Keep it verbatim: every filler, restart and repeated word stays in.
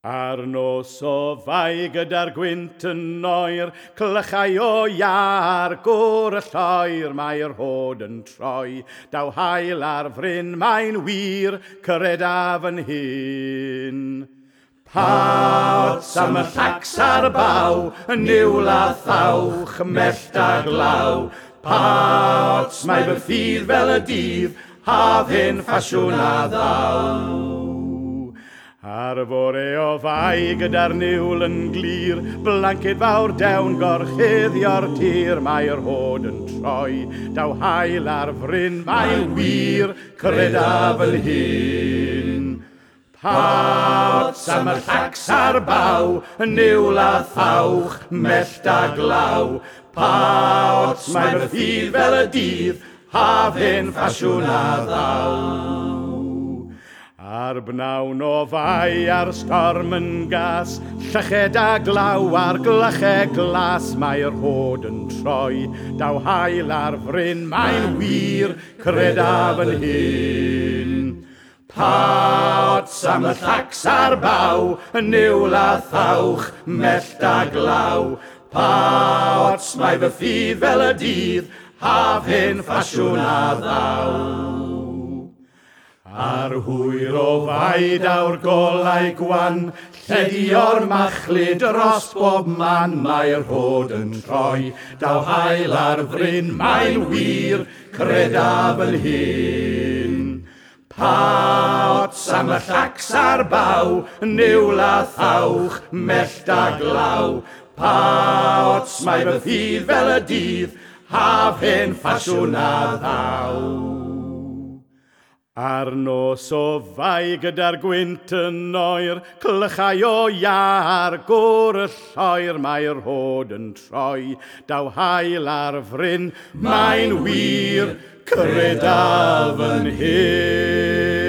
Ar nos o Fai gyda'r gwynt yn oer, clychau o iâ ar gwr y lloer, mae'r rhod yn troi. Daw haul ar fryn, mae'n wir, credaf yn hun. Pa ots am y llacs a'r baw, y niwl a thawch, mellt a glaw. Pa ots, mae fy ffydd fel y dydd, haf hen ffasiwn a ddaw. Ar fore o Fai gyda'r niwl yn glir, blanced fawr dewn gorchuddio'r tir, mae'r rhod yn troi, daw haul ar fryn, mae'n wir, credaf yn hun. Pa ots am y llacs a'r baw, y niwl a thawch, mellt a glaw. Pa ots, mae fy ffydd fel y dydd, haf hen ffasiwn a ddaw. Ar bnawn o Fai a'r storm yn gas, lleched a glaw ar glychau glas, mae'r rhod yn troi, daw haul ar fryn, mae'n wir, credaf yn hun. Pa ots am y llacs a'r baw, y niwl a thawch, mellt a glaw. Pa ots, mae fy ffydd fel y dydd, haf hen ffasiwn a ddaw. Ar hwyr o Fai daw'r golau gwan, lledio'r machlud dros bob man, mae'r rhod yn troi, daw haul ar fryn, mae'n wir, credaf yn hun. Pa ots am y llacs a'r baw, niwl a thawch, mellt a glaw. Pa ots, mae fy ffydd fel y dydd, haf hen ffasiwn a ddaw. Ar nos o Fai gyda'r gwynt yn oer, clychau o iâ ar gwr y lloer, mae'r rhod yn troi, daw haul ar fryn, mae'n wir, credaf yn hun.